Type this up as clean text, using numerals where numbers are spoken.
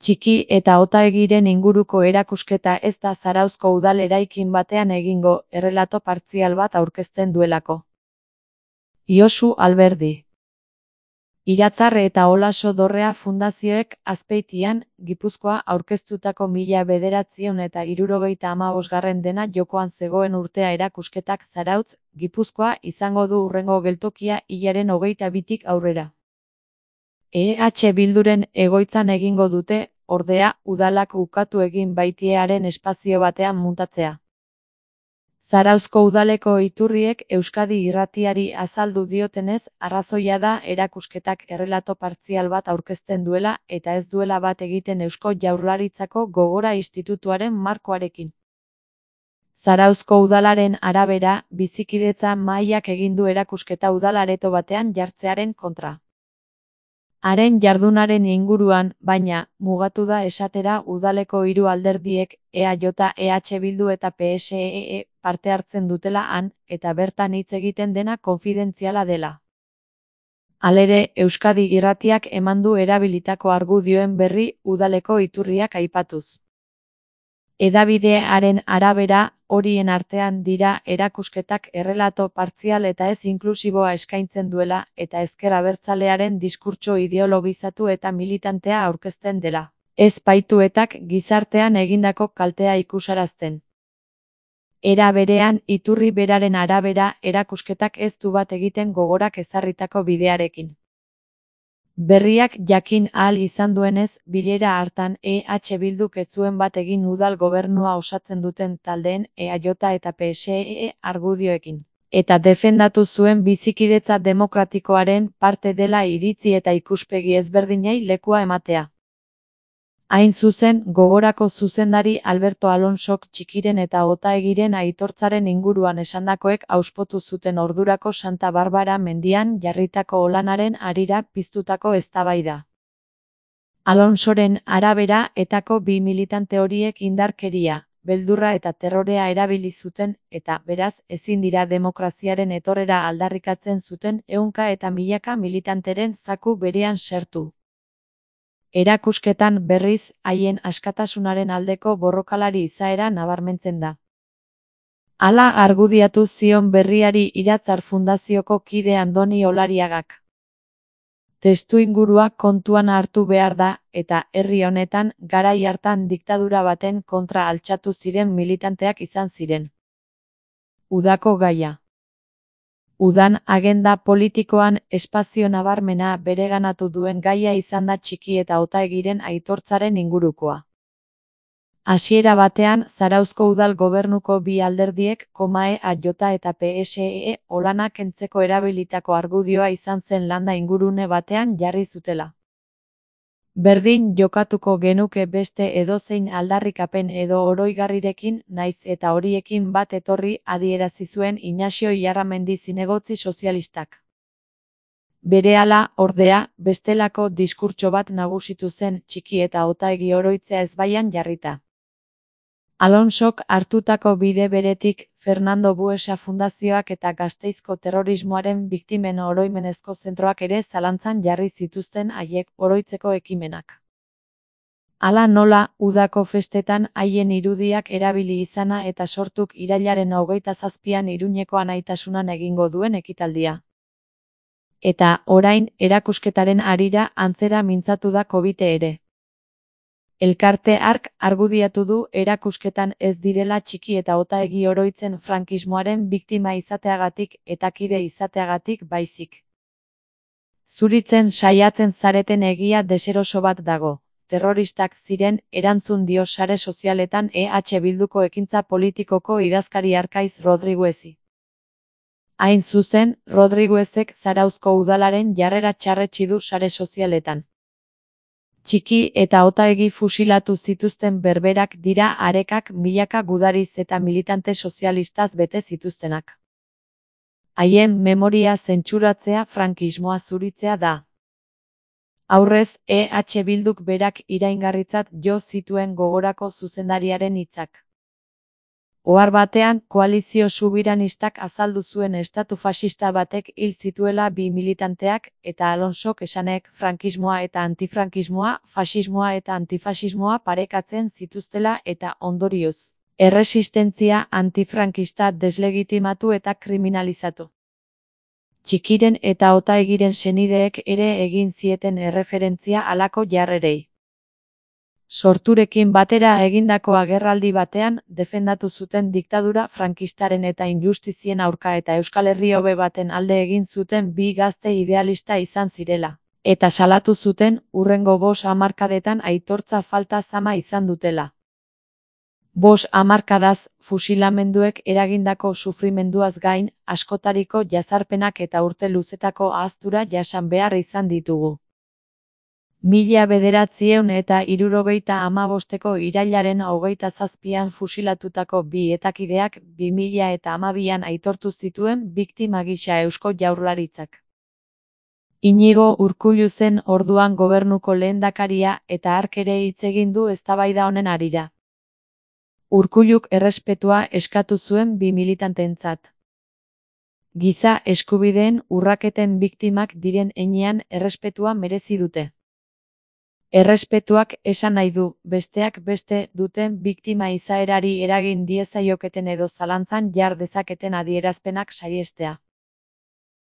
Txiki eta Otaegiren inguruko erakusketa ez da Zarauzko udal eraikin batean egingo, errelato partzial bat aurkezten duelako. Josu Alberdi. Iratzar eta Olaso Dorrea fundazioek Azpeitian, Gipuzkoa aurkeztutako 1975 dena jokoan zegoen urtea erakusketak Zarautz, Gipuzkoa izango du hurrengo geltokia hilaren 22tik aurrera. EH Bilduren egoitzan egingo dute, ordea, udalak ukatu egin baitiearen espazio batean muntatzea. Zarauzko udaleko iturriek Euskadi Irratiari azaldu diotenez, arrazoia da erakusketak errelato partzial bat aurkezten duela eta ez duela bat egiten Eusko Jaurlaritzako Gogora Institutuaren markoarekin. Zarauzko udalaren arabera, bizikidetza mahaiak egin du erakusketa udal areto batean jartzearen kontra. Haren jardunaren inguruan, baina, mugatu da esatera udaleko hiru alderdiek, EAJ, EH Bildu eta PSEE, parte hartzen dutela han, eta bertan hitz egiten dena konfidentziala dela. Halere, Euskadi Irratiak eman du erabilitako argudioen berri udaleko iturriak aipatuz. Hedabidearen arabera, horien artean dira erakusketak errelato partzial eta ez inklusiboa eskaintzen duela eta ezker abertzalearen diskurtso ideologizatu eta militantea aurkezten dela. Ez baituetak gizartean egindako kaltea ikusarazten. Era berean, iturri beraren arabera, erakusketak ez du bat egiten Gogorak ezarritako bidearekin. Berriak jakin ahal izan duenez, bilera hartan EH Bilduk ez zuen bat egin udal gobernua osatzen duten taldeen EAJ eta PSEE argudioekin. Eta defendatu zuen bizikidetza demokratikoaren parte dela iritzi eta ikuspegi ezberdinei lekua ematea. Hain zuzen, Gogorako zuzendari Alberto Alonsok Txikiren eta Otaegiren aitortzaren inguruan esandakoek auspotu zuten ordurako Santa Barbara mendian jarritako olanaren harira piztutako eztabaida. Alonsoren arabera etako bi militante horiek indarkeria, beldurra eta terrorea erabili zuten eta, beraz, ezin dira demokraziaren etorrera aldarrikatzen zuten ehunka eta milaka militanteren zaku berean sartu. Erakusketan berriz, haien askatasunaren aldeko borrokalari izaera nabarmentzen da. Hala argudiatu zion berriari Iratzar Fundazioko kide Andoni Olariagak. Testuingurua kontuan hartu behar da, eta herri honetan garai hartan diktadura baten kontra altxatu ziren militanteak izan ziren. Udako gaia. Udan agenda politikoan espazio nabarmena bereganatu duen gaia izan da Txiki eta Otaegiren aitortzaren ingurukoa. Hasiera batean, Zarauzko udal gobernuko bi alderdiek, EAJ eta PSEE, olana kentzeko erabilitako argudioa izan zen landa ingurune batean jarri zutela. Berdin jokatuko genuke beste edozein aldarrikapen edo oroigarrirekin, naiz eta horiekin bat etorri adierazi zuen Inaxio Iarramendi zinegotzi sozialistak. Berehala, ordea, bestelako diskurtso bat nagusitu zen Txiki eta Otaegi oroitzea ezbaian jarrita. Alonsok hartutako bide beretik, Fernando Buesa Fundazioak eta Gasteizko terrorismoaren biktimen oroimenezko zentroak ere zalantzan jarri zituzten haiek oroitzeko ekimenak. Hala nola, udako festetan haien irudiak erabili izana eta sortuk irailaren 27an Iruñeko Anaitasunan egingo duen ekitaldia. Eta, orain, erakusketaren harira antzera mintzatu da Covite ere. Elkarte hark argudiatu du erakusketan ez direla Txiki eta Otaegi oroitzen frankismoaren biktima izateagatik eta kide izateagatik baizik. Zuritzen saiatzen zareten egia deseroso bat dago. Terroristak ziren, erantzun dio sare sozialetan EH Bilduko ekintza politikoko idazkari Arkaiz Rodriguezi. Hain zuzen, Rodriguezek Zarauzko udalaren jarrera txarretsi du sare sozialetan. Txiki eta Otaegi fusilatu zituzten berberak dira arekak milaka gudariz eta militante sozialistaz bete zituztenak. Haien memoria zentsuratzea frankismoa zuritzea da. Aurrez, EH Bilduk berak iraingarritzat jo zituen Gogorako zuzendariaren hitzak. Ohar batean, koalizio subiranistak azaldu zuen estatu faxista batek hil zituela 2 militanteak, eta Alonsok esanek frankismoa eta antifrankismoa, faxismoa eta antifaxismoa parekatzen zituztela eta ondorioz erresistentzia antifrankista deslegitimatu eta kriminalizatu. Txikiren eta Otaegiren senideek ere egin zieten erreferentzia halako jarrerei. Sorturekin batera egindako agerraldi batean, defendatu zuten diktadura frankistaren eta injustizien aurka eta Euskal Herri hobe baten alde egin zuten 2 gazte idealista izan zirela, eta salatu zuten hurrengo 5 hamarkadetan aitortza falta zama izan dutela. 5 hamarkadaz, fusilamenduek eragindako sufrimenduaz gain, askotariko jazarpenak eta urte luzetako ahaztura jasan behar izan ditugu. 1975ko irailaren 27an fusilatutako 2 etakideak 2012an aitortu zituen biktima gisa Eusko Jaurlaritzak. Iñigo Urkullu zen orduan gobernuko lehendakaria eta hark ere hitz egin du eztabaida honen harira. Urkulluk errespetua eskatu zuen 2 militanteentzat. Giza eskubideen urraketen biktimak diren heinean errespetua merezi dute. Errespetuak esan nahi du, besteak beste duten biktima izaerari eragin diezaioketen edo zalantzan jar dezaketen adierazpenak saihestea.